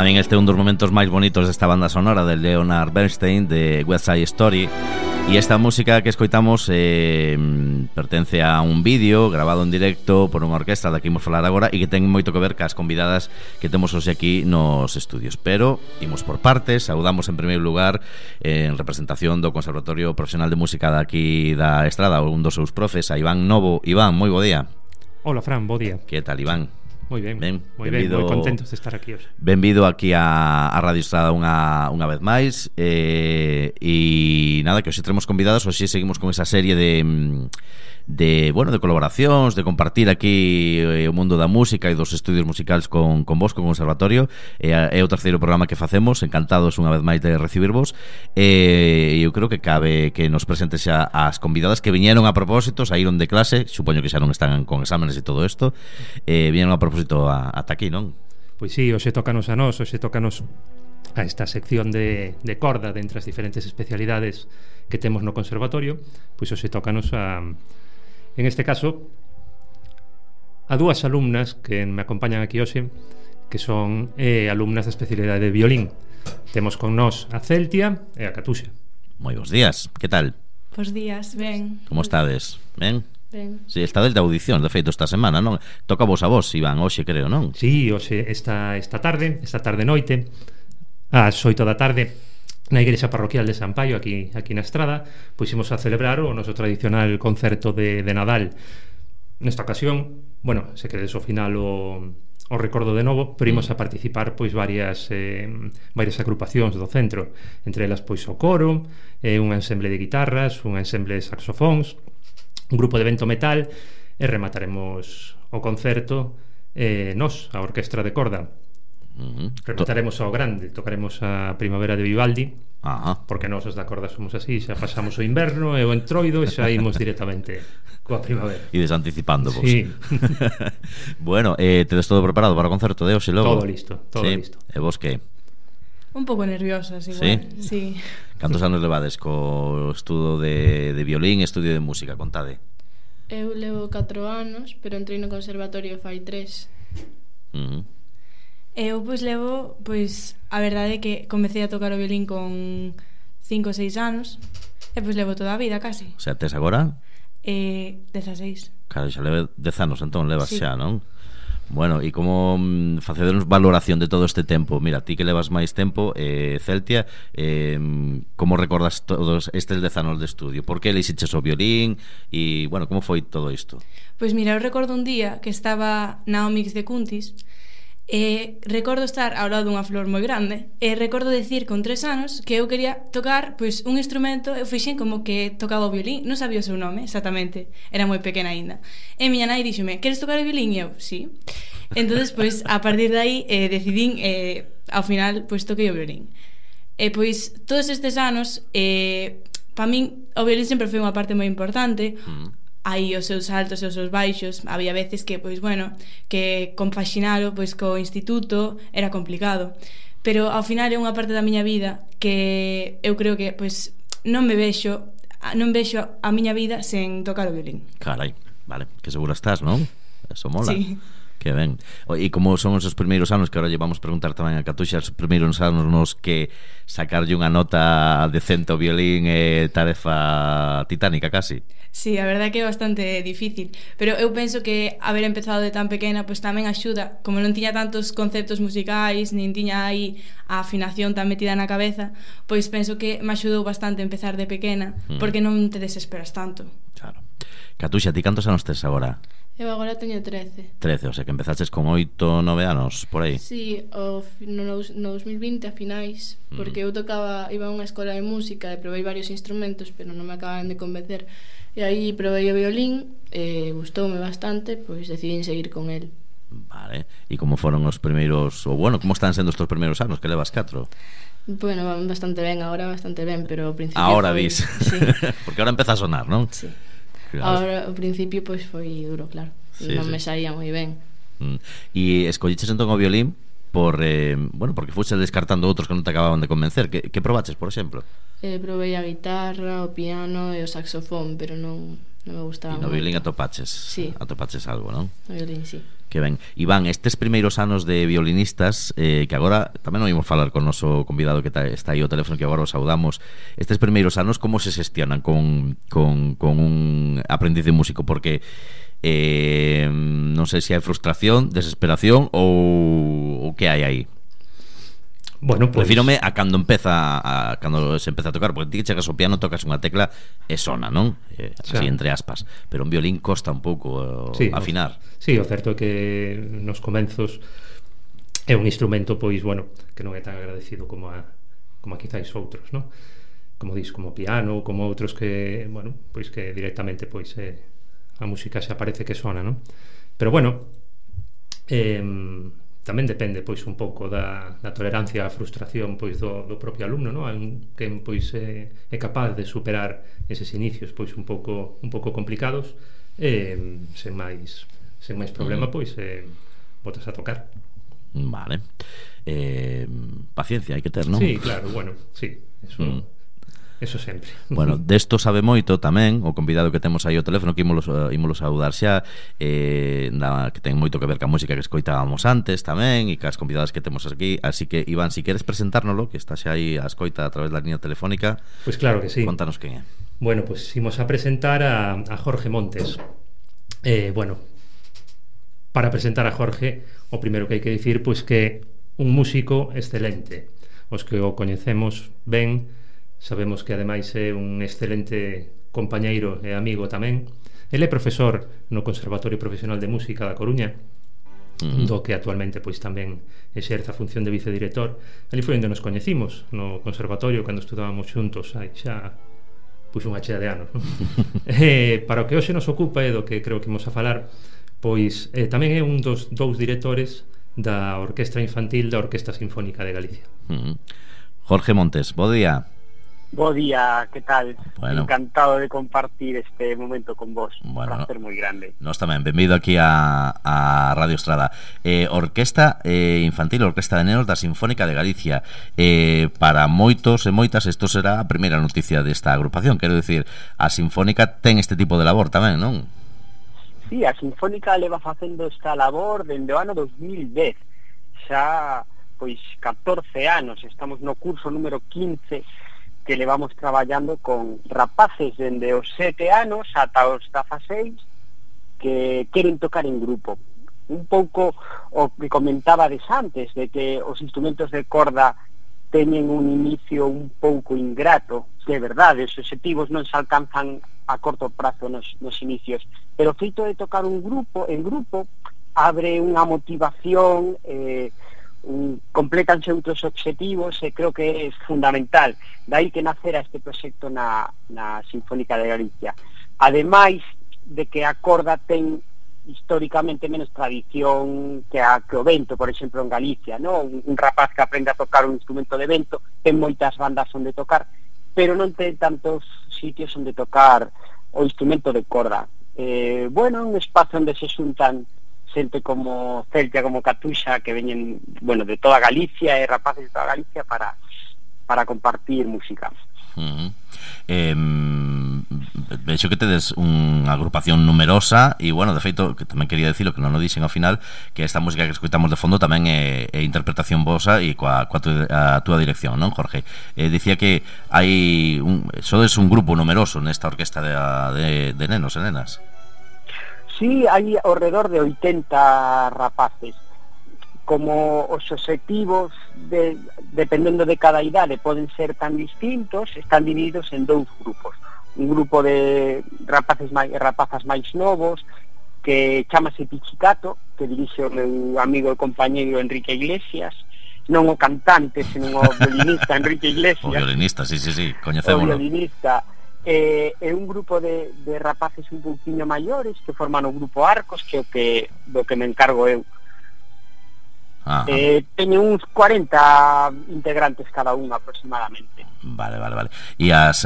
Para min este é un dos momentos máis bonitos desta banda sonora de Leonard Bernstein, de West Side Story. E esta música que escoitamos pertence a un vídeo grabado en directo por unha orquestra da que imos falar agora e que ten moito que ver cas convidadas que temos hoxe aquí nos estudios. Pero imos por partes. Saudamos en primeiro lugar en representación do Conservatorio Profesional de Música daqui da Estrada, un dos seus profes, a Iván Novo. Iván, moi bo día. Hola, Fran, bo día. Que tal, Iván? Moi ben, moi contentos de estar aquí hoxe. Benvido aquí a Radio Estrada unha vez máis. E nada, que hoxe tenemos convidados. Hoxe seguimos con esa serie de colaboracións, de compartir aquí o mundo da música e dos estudios musicales con vos, con o Conservatorio. É o terceiro programa que facemos. Encantados unha vez máis de recibirvos. Eu creo que cabe que nos presentes xa as convidadas que viñeron a propósito, saíron de clase, supoño que xa non están con exámenes e todo isto, viñeron a propósito ata aquí, non? Pois sí, hoxe tócanos a nós, hoxe tócanos a esta sección de corda de entre as diferentes especialidades que temos no Conservatorio. Pois hoxe tócanos en este caso a dúas alumnas que me acompañan aquí hoxe, que son alumnas da especialidade de violín. Temos con nós a Celtia e a Catuxa. Moi bons días, que tal? Bos días, ben. Como estades? Ben? Ben. Si, estades de audición, de feito, esta semana, non? Toca vos a vos, Iván, hoxe creo, non? Si, hoxe, esta tarde noite, ás 8 da tarde, na igrexa parroquial de San Paio, aquí na Estrada, pois imos a celebrar o noso tradicional concerto de Nadal. Nesta ocasión, bueno, se quedes ao final o recordo de novo, pero imos a participar pois varias agrupacións do centro, entre elas pois o coro, un ensemble de guitarras, un ensemble de saxofóns, un grupo de vento metal, e remataremos o concerto nós, a orquestra de corda. Remataremos ao grande, tocaremos a Primavera de Vivaldi. Porque nós os da corda somos así, xa pasamos o inverno e o entroido e xa imos directamente coa primavera. E desanticipando vos. Sí. Bueno, tedes todo preparado para o concerto de hoxe logo? Todo listo, todo listo. E vos que? Un pouco nerviosas igual. Sí. Cantos anos levades co estudo de violín e estudio de música? Contade. Eu levo 4 anos, pero entrei no conservatorio fai 3. Eu levo, a verdade é que comecei a tocar o violín con 5 ou 6 anos e levo toda a vida casi. O sea, tes agora? 16. Claro, xa leve 10 anos entón, levas sí. Xa, non? Bueno, e como facedernos valoración de todo este tempo? Mira, ti que levas máis tempo, Celtia, como recordas todos estes 10 anos de estudio? Por que elixiches o violín? E, bueno, como foi todo isto? Pois mira, eu recordo un día que estaba na Omix de Cuntis e recordo estar ao lado dunha flor moi grande e recordo decir con 3 anos que eu quería tocar un instrumento. Eu fixen como que tocaba o violín, non sabía o seu nome exactamente, era moi pequena aínda, e miña nai díxome: "Queres tocar o violín?" E eu, sí. Entonces, a partir de aí decidín, ao final, toquei o violín. E todos estes anos, para min o violín sempre foi unha parte moi importante. Hai os seus altos e os seus baixos. Había veces que, que compaxinalo co instituto era complicado, pero ao final é unha parte da miña vida que eu creo que non vexo a miña vida sen tocar o violín. Carai, vale, que segura estás, non? Eso mola. Sí. Que ben. E como son os primeiros anos, que ahora lle vamos preguntar tamén a Catuxa, os primeiros anos nos que sacarlle unha nota decente ao violín é tarefa titánica casi. Sí, a verdade que é bastante difícil, pero eu penso que haber empezado de tan pequena tamén axuda. Como non tiña tantos conceptos musicais, nin tiña aí a afinación tan metida na cabeza, penso que me axudou bastante empezar de pequena, porque non te desesperas tanto. Claro. Catuxa, ti cantos anos tes agora? Eu agora teño 13. 13, o sea que empezaches con 8, 9 anos, por aí. Sí, no 2020 a finais, porque eu iba a unha escola de música e probei varios instrumentos, pero non me acaban de convencer. E aí probei o violín e gustoume bastante, decidín seguir con el. Vale, e como foron os primeiros, como están sendo estos primeiros anos, que levas 4? Bueno, van bastante ben, agora bastante ben, pero ao principio ahora dis, sí. Porque ahora empeza a sonar, non? Sí. Ahora, ao principio, foi duro, claro. Non me saía moi ben. E escolliches entón o violín porque fuches descartando outros que non te acababan de convencer. Que probaches, por exemplo? Probei a guitarra, o piano e o saxofón, pero non me gustaba. E no violín atopaches? Sí. Atopaches algo, non? No violín, sí. Que ben. Iván, estes primeiros anos de violinistas, que agora tamén non imos falar con o noso convidado que está aí ao teléfono, que agora o saudamos. Estes primeiros anos, como se xestionan con un aprendiz de músico? Porque non sei se hai frustración, desesperación ou que hai aí. Bueno, pues, refírome a cando cando se empeza a tocar, porque ti que chegas ao piano, tocas unha tecla e sona, non? Así entre aspas, pero un violín costa un pouco afinar. Sí, o certo é que nos comenzos é un instrumento, pois, bueno, que non é tan agradecido como a quizáis outros, non? Como dis, como o piano, como outros que, bueno, pois que directamente pois a música se aparece que sona, non? Pero bueno, tamén depende pois un pouco da tolerancia á frustración pois do propio alumno, non? Quen pois é capaz de superar eses inicios pois un pouco complicados, sen máis problema pois botas a tocar. Vale. Paciencia hai que ter, non? Sí, claro, bueno, sí, eso sempre. Bueno, desto sabe moito tamén o convidado que temos aí ao teléfono, que ímolo saudar xa, que ten moito que ver ca música que escoitábamos antes tamén, e cas convidadas que temos aquí. Así que, Iván, si queres presentárnoslo, que está xa aí a escoita a través da línea telefónica, pois claro que sí. Contanos quen é. Bueno, pois imos a presentar a Jorge Montes. Bueno, para presentar a Jorge, o primeiro que hai que dicir pois que un músico excelente. Os que o coñecemos ben sabemos que ademais é un excelente compañeiro e amigo tamén. Ele é profesor no Conservatorio Profesional de Música da Coruña, do que actualmente pois tamén exerce a función de vicedirector. Ali foi onde nos coñecimos, no conservatorio, cando estudábamos xuntos hai xa pois unha chea de anos, non? Para o que hoxe nos ocupa e do que creo que imos a falar, pois tamén é un dos dous directores da Orquestra Infantil da Orquestra Sinfónica de Galicia. Jorge Montes, bo día. Bo día, que tal? Bueno. Encantado de compartir este momento con vos. Bueno, un placer moi grande. Nós tamén, benvido aquí a Radio Estrada. Orquesta Infantil, Orquesta de Nenos da Sinfónica de Galicia. Para moitos e moitas, isto será a primeira noticia desta agrupación. Quero dicir, a Sinfónica ten este tipo de labor tamén, non? Sí, a Sinfónica leva facendo esta labor dende o ano 2010. Xa, pois, 14 anos. Estamos no curso número 15 que levamos traballando con rapaces dende os 7 anos ata os 16 que queren tocar en grupo. Un pouco o que comentabades antes, de que os instrumentos de corda teñen un inicio un pouco ingrato, que é verdade, os obxectivos non se alcanzan a corto prazo nos inicios, pero o feito de tocar en grupo abre unha motivación, completanse outros obxectivos, e creo que é fundamental. Dai que nacera este proxecto na Sinfónica de Galicia. Ademais de que a corda ten históricamente menos tradición que o vento, por exemplo, en Galicia, ¿no? Un rapaz que aprende a tocar un instrumento de vento ten moitas bandas onde tocar, pero non ten tantos sitios onde tocar o instrumento de corda. Bueno, un espazo onde se xuntan xente como Celtia, como Catuxa, que veñen, bueno, de toda Galicia e rapaces de toda Galicia para compartir música. Vexo que tedes unha agrupación numerosa e, bueno, de feito, que tamén quería dicilo, que non o dixen ao final, que esta música que escoitamos de fondo tamén é interpretación vosa e coa túa dirección, non, Jorge? Dicía que sodes un grupo numeroso nesta orquesta de nenos e nenas. Sí, hai ao redor de 80 rapaces. Como os obxectivos dependendo de cada idade poden ser tan distintos, están divididos en dous grupos. Un grupo de rapazas máis novos que chamase Pichicato, que dirixe o meu amigo e compañeiro Enrique Iglesias, non o cantante, senón o violinista Enrique Iglesias. O violinista, sí, coñecémolo. O violinista. É un grupo de rapaces un pouquinho maiores que forman o grupo Arcos, que é do que me encargo eu. Teñen uns 40 integrantes cada un aproximadamente. Vale. E as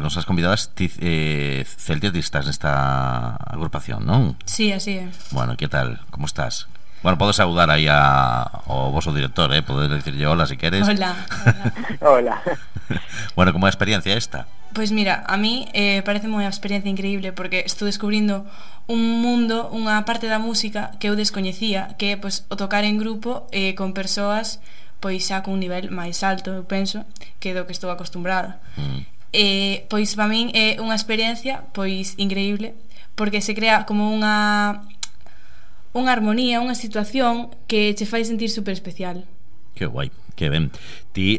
nosas convidadas Celtia, ti estás nesta agrupación, non? Sí, así é. Bueno, que tal? Como estás? Bueno, podes saudar aí ao vosso director, podes dicirlle hola se queres. Hola. Hola. Bueno, como é a experiencia esta? Pois mira, a mí parece unha experiencia increíble porque estou descubrindo un mundo, unha parte da música que eu descoñecía, que é pois, o tocar en grupo con persoas pois xa cun nivel máis alto, eu penso, que do que estou acostumbrada. Pois para min é unha experiencia pois increíble porque se crea como unha armonía, unha situación que che fai sentir super especial. Que guai, que ben. Ti,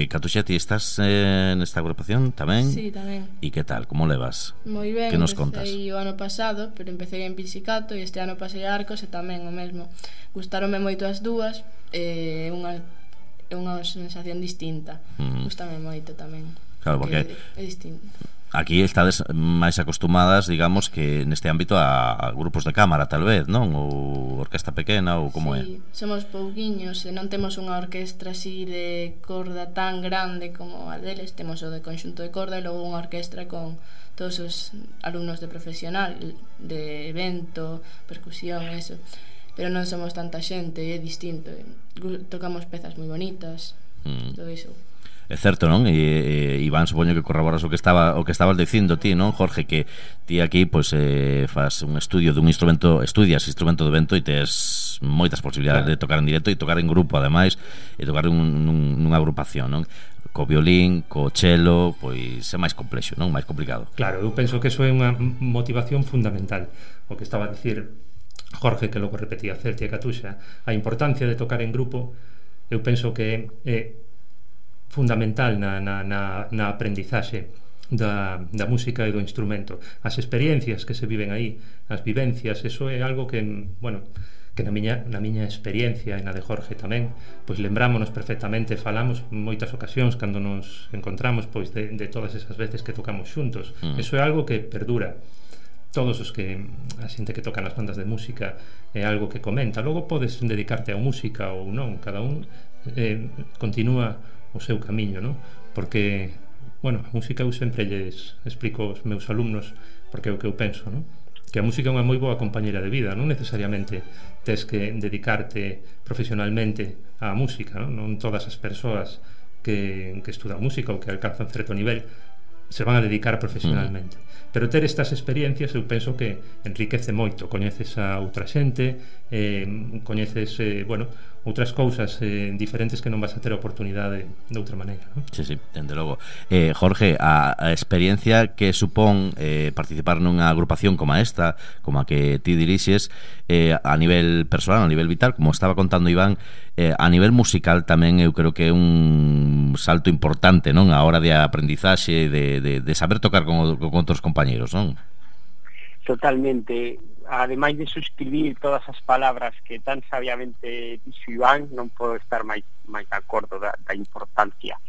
Catuxa, ti estás nesta agrupación tamén? Sí, tamén. E que tal, como levas? Moi ben, que nos contas? Empecé o ano pasado, pero empecé en Pizzicato e este ano pasei a Arcos e tamén o mesmo. Gustaronme moito as dúas, é unha sensación distinta. Gustame moito tamén. Claro, porque é distinto. Aquí estades máis acostumadas, digamos, que neste ámbito a grupos de cámara, tal vez, non? Ou orquesta pequena, ou como sí, somos pouquiños e non temos unha orquestra así de corda tan grande como a deles. Temos o de conxunto de corda e logo unha orquestra con todos os alumnos de profesional, de evento, percusión, eso. Pero non somos tanta xente, é distinto. Tocamos pezas moi bonitas, todo iso. É certo, non? E Iván, supoño que corroboras o que estabas dicindo ti, non, Jorge, que ti aquí pois fas un estudio dun instrumento, estudias instrumento de vento e tes moitas posibilidades de tocar en directo e tocar en grupo, ademais, e tocar nunha agrupación, non? Co violín, co cello, pois é máis complexo, non? Máis complicado. Claro, eu penso que eso é unha motivación fundamental. O que estaba a dicir Jorge, que logo repetía Celtia e Catuxa, a importancia de tocar en grupo, eu penso que é fundamental na aprendizaxe da música e do instrumento. As experiencias que se viven aí, as vivencias, eso é algo que, bueno, que na miña experiencia e na de Jorge tamén, pois lembrámonos perfectamente, falamos moitas ocasións cando nos encontramos pois de todas esas veces que tocamos xuntos. Eso é algo que perdura. Todos os que a xente que toca nas bandas de música é algo que comenta. Logo podes dedicarte a música ou non, cada un continúa o seu camiño, non? Porque, bueno, a música eu sempre lles explico aos meus alumnos, porque é o que eu penso, non? Que a música é unha moi boa compañera de vida, non necesariamente tes que dedicarte profesionalmente á música, non? Non todas as persoas que estudan música ou que alcanzan certo nivel se van a dedicar profesionalmente. Pero ter estas experiencias eu penso que enriquece moito. Coñeces a outra xente, coñeces, bueno, outras cousas diferentes que non vas a ter a oportunidade de outra maneira, non? Sí, dende logo. Jorge, a experiencia que supón participar nunha agrupación como esta, como a que ti dirixes, a nivel personal, a nivel vital, como estaba contando Iván, a nivel musical tamén eu creo que é un salto importante, non? A hora de aprendizaxe, de saber tocar con outros compañeros, non? Totalmente. Ademais de suscribir todas as palabras que tan sabiamente dixo Iván, non podo estar máis de acordo da importancia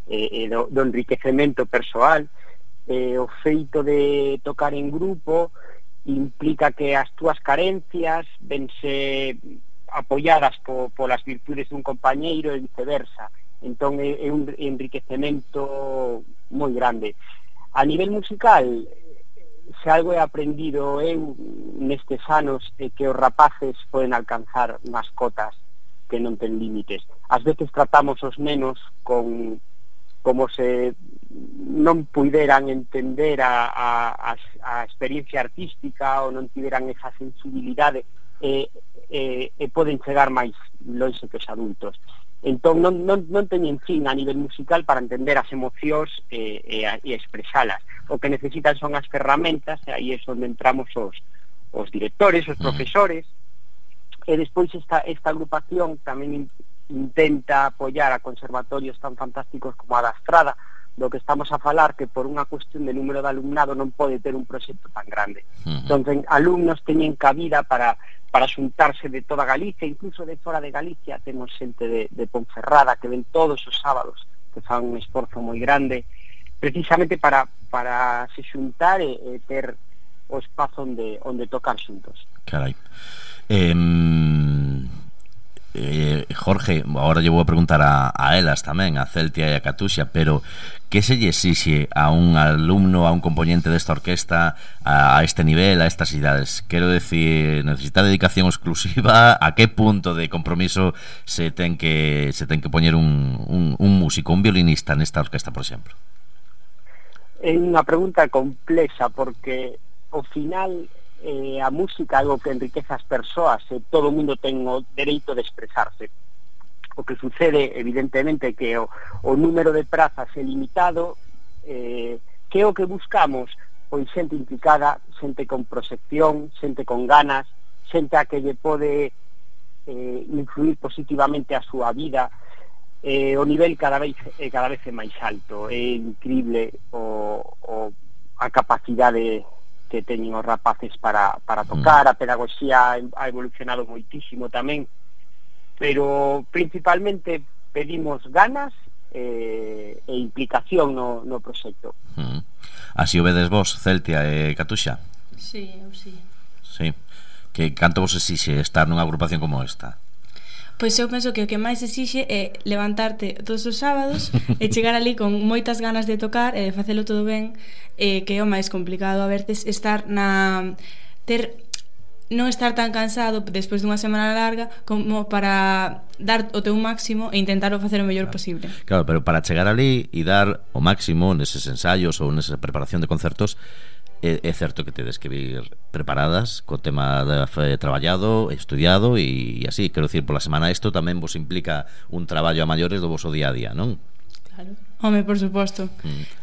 do enriquecemento persoal. O feito de tocar en grupo implica que as túas carencias vense apoiadas polas virtudes dun compañeiro e viceversa. Entón é un enriquecemento moi grande. A nivel musical, se algo he aprendido eu nestes anos é que os rapaces poden alcanzar unhas cotas que non ten límites. Ás veces tratamos os nenos como se non puideran entender a experiencia artística ou non tiveran esa sensibilidade e poden chegar máis longe que os adultos. Entón non teñen fin a nivel musical para entender as emocións e expresalas. O que necesitan son as ferramentas, e aí é onde entramos os directores, os profesores, e despois esta agrupación tamén intenta apoiar a conservatorios tan fantásticos como a da Estrada, do que estamos a falar, que por unha cuestión de número de alumnado non pode ter un proxecto tan grande. Entón, alumnos teñen cabida para xuntarse de toda Galicia, incluso de fora de Galicia. Temos xente de Ponferrada que ven todos os sábados, que fan un esforzo moi grande precisamente para se xuntar e ter o espazo onde tocar xuntos. Carai. Jorge, agora lle vou a preguntar a elas tamén, a Celtia e a Catuxa, pero que se lle exixe a un alumno, a un componente desta orquesta a este nivel, a estas idades? Quero decir, necesita dedicación exclusiva? A que punto de compromiso se ten que poñer un músico, un violinista nesta orquesta, por exemplo? É unha pregunta complexa porque ao final a música é algo que enriquece as persoas e todo o mundo ten o dereito de expresarse. O que sucede, evidentemente, que o número de prazas é limitado, que é o que buscamos? Pois xente implicada, xente con proxección, xente con ganas, xente a que lle pode influir positivamente a súa vida. O nivel cada vez é máis alto. É increíble a capacidade que teñen os rapaces para tocar. A pedagogía ha evolucionado moitísimo tamén, pero principalmente pedimos ganas e implicación no proxecto. Así o vedes vos, Celtia e Catuxa? Sí, eu sí. Sí. Que canto vos exixe estar nunha agrupación como esta? Pois eu penso que o que máis exixe é levantarte todos os sábados e chegar ali con moitas ganas de tocar e de facelo todo ben, que é o máis complicado a veces estar non estar tan cansado despois dunha semana larga como para dar o teu máximo e intentarlo facer o mellor posible. Claro, pero para chegar ali e dar o máximo neses ensaios ou nesa preparación de concertos, é certo que tedes que vir preparadas co tema traballado, estudiado e así, quero dicir, pola semana isto tamén vos implica un traballo a maiores do voso día a día, non? Claro. Home, por suposto.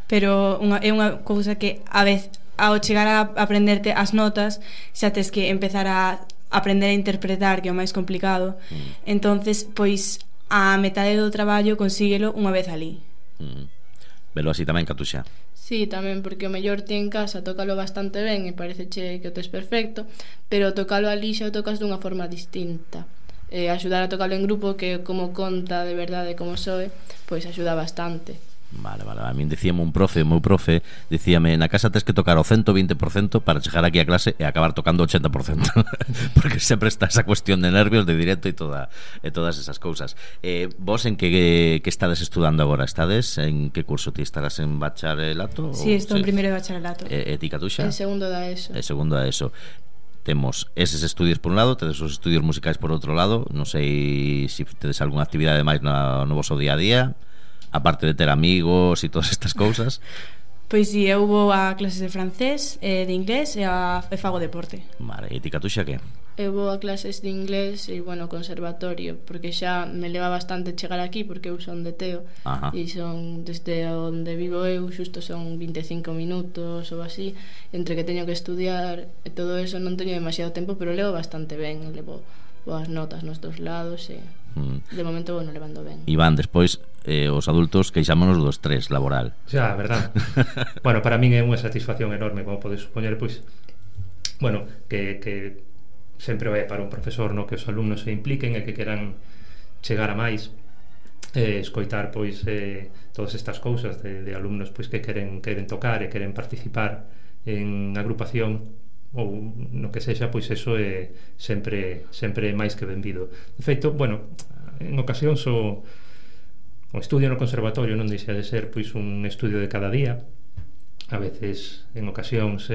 Pero é unha cousa que a vez ao chegar a aprenderte as notas xa tes que empezar a aprender a interpretar, que é o máis complicado. Entonces, pois a metade do traballo consíguelo unha vez ali. Velo así tamén, Catuxa? Sí, tamén, porque o mellor ti en casa tócalo bastante ben e pareceche que o tes perfecto, pero tócalo ali xa o tocas dunha forma distinta. Axudar a tocalo en grupo, que como conta de verdade como soe, pois axuda bastante. Vale, a min dicíame o meu profe dicíame, na casa tes que tocar o 120% para chegar aquí a clase e acabar tocando o 80%. Porque sempre está esa cuestión de nervios, de directo e todas esas cousas. Vos en que estades estudando agora? Estades en que curso? Ti estarás en bacharelato? Sí, estou en primeiro de bacharelato. E ti, Catuxa? En segundo da ESO. Segundo da ESO. Temos eses estudios por un lado, tedes os estudios musicais por outro lado. Non sei se tedes algunha actividade máis no voso día a día, aparte de ter amigos e todas estas cousas. Pois si, eu vou a clases de francés, de inglés e fago deporte. Vale, e ti, Catuxa, que? Eu vou a clases de inglés e, conservatorio, porque xa me leva bastante chegar aquí, porque eu son de Teo. E son, desde onde vivo eu, xusto son 25 minutos ou así, entre que teño que estudiar e todo eso non teño demasiado tempo, pero levo bastante ben, levo boas notas nos dos lados e de momento vou levando ben. Iván, despois os adultos queixámonos do estrés laboral. Xa, verdad. Bueno, para min é unha satisfacción enorme, como podes supoñer, pois que sempre vai para un profesor, no, que os alumnos se impliquen e que queran chegar a máis, escoitar pois todas estas cousas de alumnos pois que queren tocar e queren participar en agrupación ou no que sexa, pois eso é sempre máis que benvido. De feito, en ocasións o estudio no conservatorio non deixa de ser pois un estudio de cada día, a veces en ocasións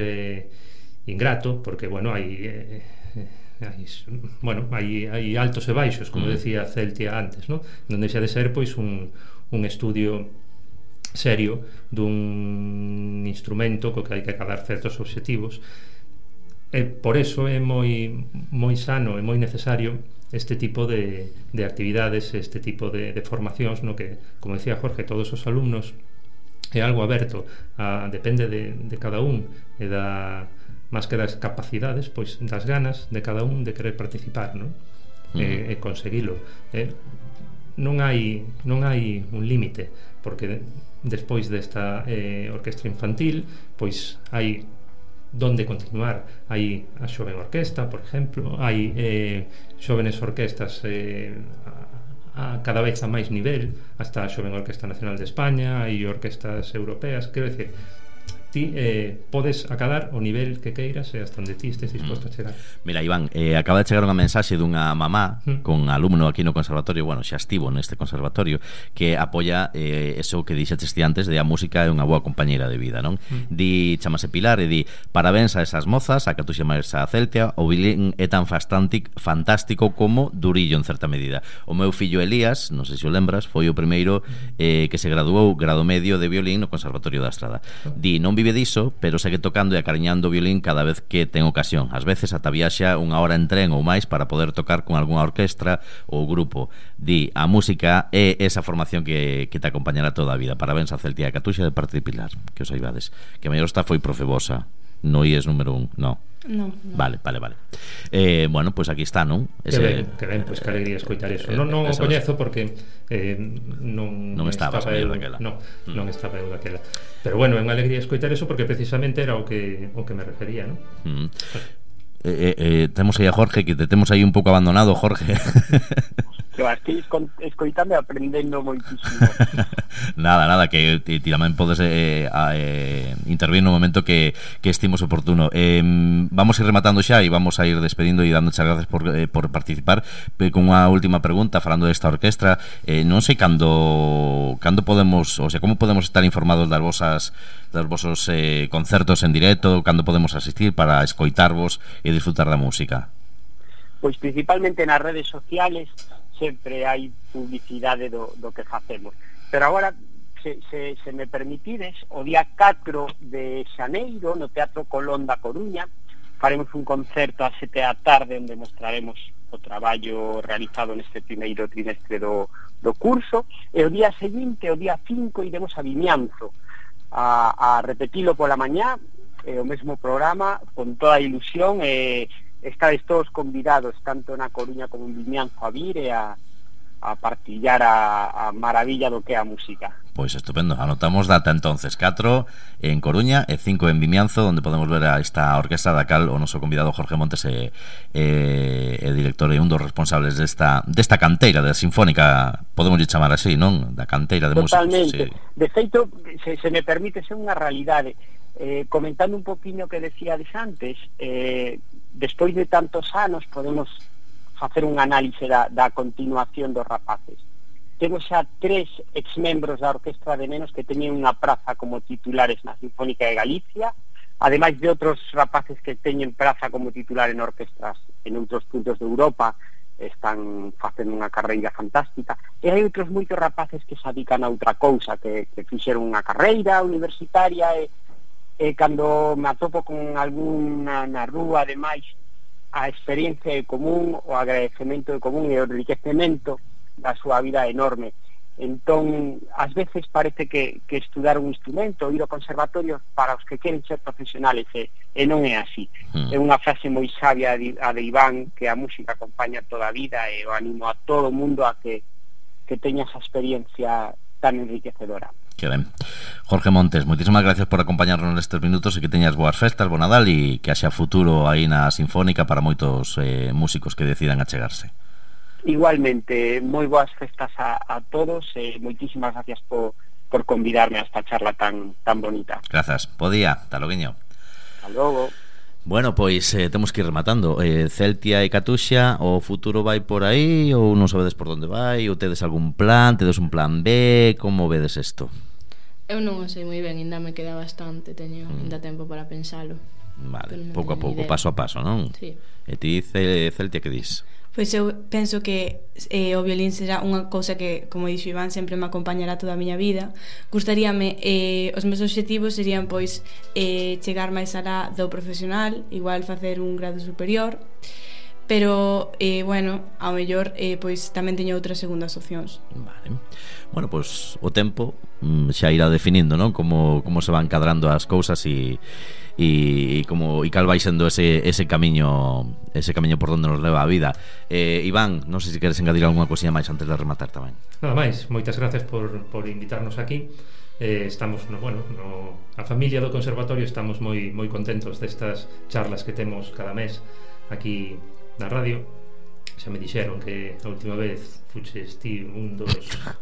ingrato, porque hai altos e baixos, como decía Celtia antes, non deixa de ser pois un estudio serio dun instrumento co que hai que acadar certos obxectivos, e por eso é moi sano e moi necesario este tipo de actividades, este tipo de formacións, no que, como decía Jorge, todos os alumnos é algo aberto, depende de cada un e máis que das capacidades, pois das ganas de cada un de querer participar, non? E conseguilo. Non hai un límite, porque despois desta orquestra infantil, pois hai donde continuar. Hai a xoven orquesta, por exemplo, hai xovenes orquestas cada vez a máis nivel, hasta a xoven Orquesta Nacional de España, hai orquestas europeas, quero dicir, ti podes acadar o nivel que queiras e hasta onde ti estes disposto a chegar. Mira, Iván, acaba de chegar unha mensaxe dunha mamá con alumno aquí no conservatorio, bueno, xa estivo neste conservatorio, que apoia eso que dixetes ti antes de a música é unha boa compañeira de vida, non? Di, chamase Pilar e di: parabéns a esas mozas, a Catuxa máis a Celtia, o violín é tan fantástico como durillo en certa medida. O meu fillo Elías, non sei se o lembras, foi o primeiro que se graduou grado medio de violín no Conservatorio da Estrada. Di, non vive diso, pero segue tocando e acariñando o violín cada vez que ten ocasión. Ás veces ata viaxa unha hora en tren ou máis para poder tocar con algunha orquestra ou grupo. Di, a música é esa formación que te acompañará toda a vida. Parabéns a Celtia e a Catuxa de parte de Pilar, que os saibades. Que a mellor está foi profebosa. No IES número 1, no. No. Vale. Bueno, pois aquí está, non? Que ben, pois que alegría escoitar eso. Non o coñezo porque non estaba eu daquela. Non estaba eu daquela. Pero bueno, é unha alegría escoitar eso porque precisamente era o que me refería, non? Temos aí a Jorge, que te temos aí un pouco abandonado, Jorge. Que estou escoitando e aprendendo moitísimo. Nada, que ti tamén podes intervir no momento que estimos oportuno. Vamos a ir rematando xa e vamos a ir despedindo e dando gracias por participar, con unha última pregunta falando desta orquestra. Non sei cando podemos, o sea, como podemos estar informados dos vosos concertos en directo, cando podemos asistir para escoitarvos e disfrutar da música. Pois principalmente nas redes sociales sempre hai publicidade do que facemos. Pero agora, se me permitides, o día 4 de xaneiro no Teatro Colón da Coruña faremos un concerto a 7 da tarde onde mostraremos o traballo realizado neste primeiro trimestre do curso, e o día seguinte, o día 5, iremos a Vimianzo a repetilo pola mañá, o mesmo programa, con toda a ilusión, estades todos convidados tanto na Coruña como en Vimianzo a vir e a partillar a maravilla do que é a música. Pois estupendo, anotamos data entonces 4 en Coruña e 5 en Vimianzo, onde podemos ver a esta orquestra da cal o noso convidado Jorge Montes é director e un dos responsables desta canteira da Sinfónica, podemos chamar así, non? Da canteira de músicos. Totalmente, sí. De feito, se me permite, ser unha realidade. Comentando un poquinho que decíades antes, despois de tantos anos podemos facer un análise da continuación dos rapaces. Temos xa 3 exmembros da Orquestra de Nenos que teñen unha praza como titulares na Sinfónica de Galicia, ademais de outros rapaces que teñen praza como titular en orquestras en outros puntos de Europa, están facendo unha carreira fantástica, e hai outros moitos rapaces que se dedican a outra cousa, que fixeron unha carreira universitaria, e cando me atopo con alguna na rúa, ademais, a experiencia de común, o agradecemento de común e o enriquecemento da súa vida enorme. Entón, ás veces parece que estudar un instrumento, ir ao conservatorio para os que queren ser profesionales, e non é así. É unha frase moi sabia a de Iván, que a música acompaña toda a vida, e o animo a todo o mundo a que teña esa experiencia tan enriquecedora. Que ben. Jorge Montes, moitísimas gracias por acompañarnos nestes minutos e que teñas boas festas, bo Nadal, e que haxa futuro aí na Sinfónica para moitos músicos que decidan achegarse. Igualmente, moi boas festas a todos e moitísimas gracias por convidarme a esta charla tan bonita. Grazas, bo día, ata loguiño. Hasta logo. Bueno, pois temos que ir rematando. Celtia e Catuxa, o futuro vai por aí ou non sabedes por onde vai, ou tedes algún plan, tedes un plan B, como vedes isto? Eu non o sei moi ben, ainda me queda bastante, teño ainda tempo para pensalo. Vale, pouco a pouco, paso a paso, non? Sí. E ti, Celtia, que dis? Pois eu penso que o violín será unha cousa que, como dixo Iván, sempre me acompañará toda a miña vida. Gustaríame, os meus obxectivos serían pois chegar máis alá do profesional, igual facer un grado superior, pero bueno, ao mellor pois tamén teño outras segundas opcións. Vale. Bueno, pois o tempo xa irá definindo, non? Como se van cadrando as cousas e cal vai sendo ese camiño por onde nos leva a vida. Iván, non sei se queres engadir algunha cosilla máis antes de rematar tamén. Nada máis, moitas gracias por invitarnos aquí. Estamos, a familia do Conservatorio estamos moi contentos destas charlas que temos cada mes aquí na radio. Xa me dixeron que a última vez fuches ti un dos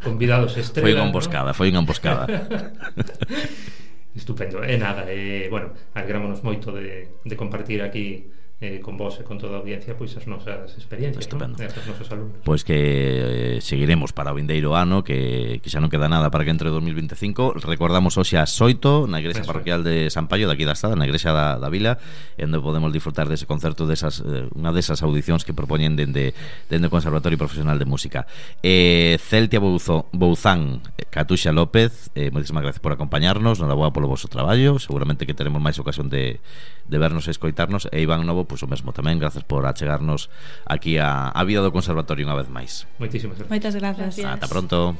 convidados estrela. Foi unha emboscada. Estupendo. E nada, bueno, alegrámonos moito de compartir aquí con vos e con toda a audiencia pois as nosas experiencias, ¿no? Os nosos alumnos. Pois que seguiremos para o vindeiro ano, que xa non queda nada para que entre 2025. Recordamos hoxe ás 8 na igrexa parroquial de San Paio, daqui da Estrada, na igrexa da Vila, onde podemos disfrutar dese concerto, unha desas audicións que propoñen dende o Conservatorio Profesional de Música. Celtia Bouzán, Catuxa López, moitísimas gracias por acompañarnos, noraboa polo vosso traballo, seguramente que teremos máis ocasión de vernos e escoitarnos. E Iván Novo, pois o mesmo tamén, gracias por achegarnos aquí a vida do Conservatorio unha vez máis. Moitísimas gracias. Moitas gracias. Ata pronto.